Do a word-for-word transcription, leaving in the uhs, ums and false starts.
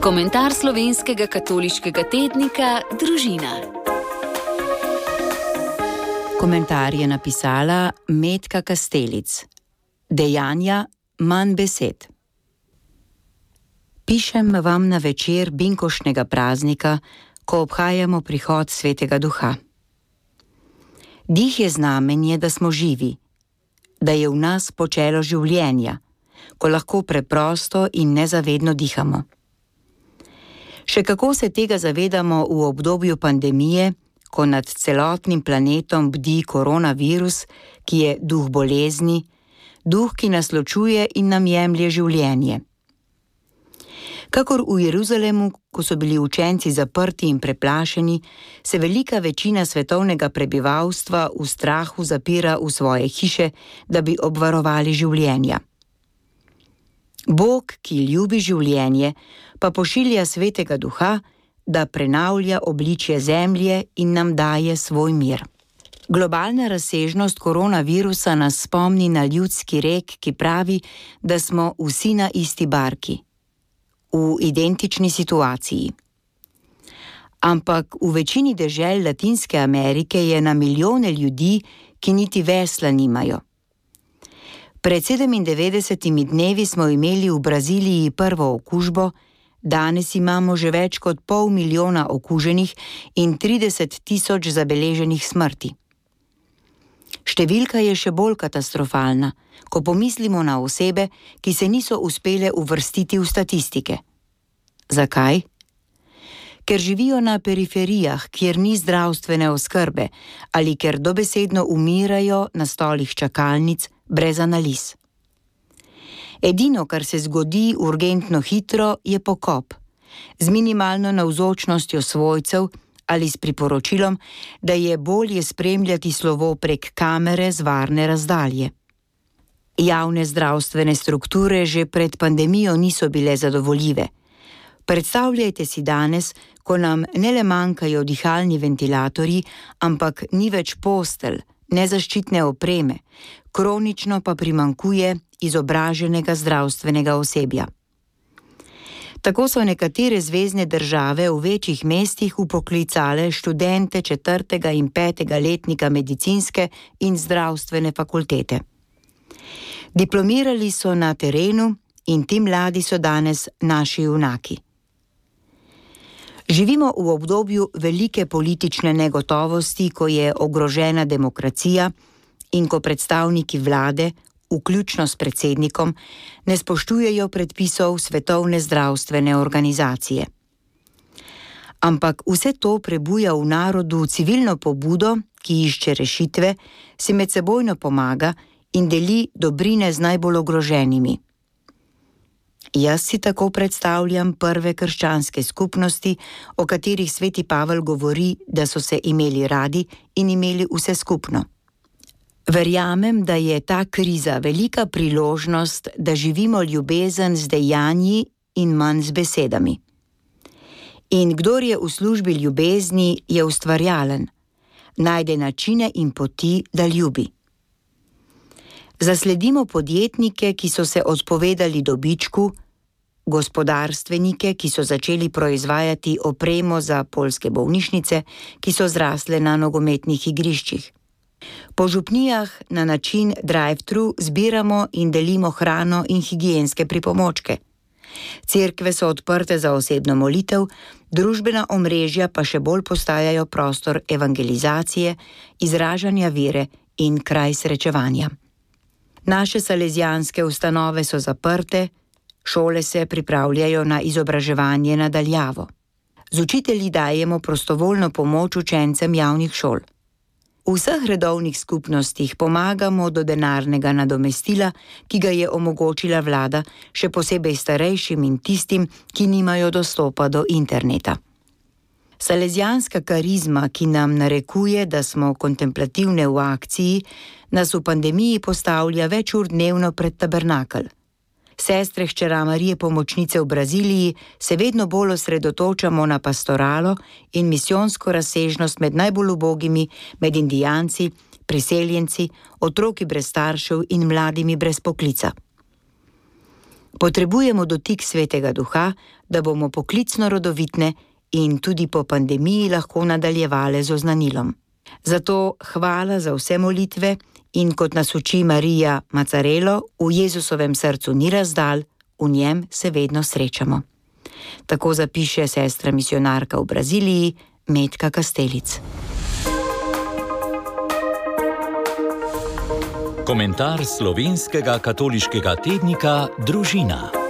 Komentar slovenskega katoliškega tednika Družina. Komentar je napisala Metka Kastelic. Dejanja, manj besed. Pišem vam na večer binkoštnega praznika, ko obhajamo prihod Svetega Duha. Dih je znamenje, da smo živi, da je v nas počelo življenja, ko lahko preprosto in nezavedno dihamo. Še kako se tega zavedamo v obdobju pandemije, ko nad celotnim planetom bdi koronavirus, ki je duh bolezni, duh, ki nas ločuje in nam jemlje življenje. Kakor v Jeruzalemu, ko so bili učenci zaprti in preplašeni, se velika večina svetovnega prebivalstva v strahu zapira v svoje hiše, da bi obvarovali življenja. Bog, ki ljubi življenje, pa pošilja Svetega Duha, da prenavlja obličje zemlje in nam daje svoj mir. Globalna razsežnost koronavirusa nas spomni na ljudski rek, ki pravi, da smo vsi na isti barki, v identični situaciji. Ampak v večini dežel Latinske Amerike je na milijone ljudi, ki niti vesla nimajo. Pred sedemindevetdesetimi dnevi smo imeli v Braziliji prvo okužbo, danes imamo že več kot pol milijona okuženih in trideset tisoč zabeleženih smrti. Številka je še bolj katastrofalna, ko pomislimo na osebe, ki se niso uspele uvrstiti v statistike. Zakaj? Ker živijo na periferijah, kjer ni zdravstvene oskrbe, ali ker dobesedno umirajo na stolih čakalnic brez analiz. Edino, kar se zgodi urgentno hitro, je pokop, z minimalno navzočnostjo svojcev ali s priporočilom, da je bolje spremljati slovo prek kamere z varne razdalje. Javne zdravstvene strukture že pred pandemijo niso bile zadovoljive. Predstavljajte si danes, ko nam ne le manjkajo dihalni ventilatorji, ampak ni več postelj, nezaščitne opreme, kronično pa primanjkuje izobraženega zdravstvenega osebja. Tako so nekatere zvezne države v večjih mestih upoklicale študente četrtega in petega letnika medicinske in zdravstvene fakultete. Diplomirali so na terenu in ti mladi so danes naši junaki. Živimo v obdobju velike politične negotovosti, ko je ogrožena demokracija in ko predstavniki vlade, vključno s predsednikom, ne spoštujejo predpisov Svetovne zdravstvene organizacije. Ampak vse to prebuja v narodu civilno pobudo, ki išče rešitve, si medsebojno pomaga in deli dobrine z najbolj ogroženimi. Jaz si tako predstavljam prve krščanske skupnosti, o katerih sveti Pavel govori, da so se imeli radi in imeli vse skupno. Verjamem, da je ta kriza velika priložnost, da živimo ljubezen z dejanji in manj z besedami. In kdor je v službi ljubezni, je ustvarjalen, najde načine in poti, da ljubi. Zasledimo podjetnike, ki so se odpovedali dobičku, gospodarstvenike, ki so začeli proizvajati opremo za poljske bolnišnice, ki so zrasle na nogometnih igriščih. Po župnijah na način drive-thru zbiramo in delimo hrano in higienske pripomočke. Cerkve so odprte za osebno molitev, družbena omrežja pa še bolj postajajo prostor evangelizacije, izražanja vere in kraj srečevanja. Naše salezijanske ustanove so zaprte, šole se pripravljajo na izobraževanje na daljavo. Z učitelji dajemo prostovoljno pomoč učencem javnih šol. V vseh redovnih skupnostih pomagamo do denarnega nadomestila, ki ga je omogočila vlada, še posebej starejšim in tistim, ki nimajo dostopa do interneta. Salezijanska karizma, ki nam narekuje, da smo kontemplativne v akciji, nas v pandemiji postavlja več ur dnevno pred tabernakelj. Sestre hčera Marije Pomočnice v Braziliji se vedno bolj osredotočamo na pastoralo in misijonsko razsežnost med najbolj ubogimi, med indijanci, priseljenci, otroki brez staršev in mladimi brez poklica. Potrebujemo dotik Svetega Duha, da bomo poklicno rodovitne in tudi po pandemiji lahko nadaljevale z oznanilom. Zato hvala za vse molitve in kot nas uči Marija Macarelo, v Jezusovem srcu ni razdalj, v njem se vedno srečamo. Tako zapiše sestra misionarka v Braziliji, Metka Kastelic. Komentar slovenskega katoliškega tednika Družina.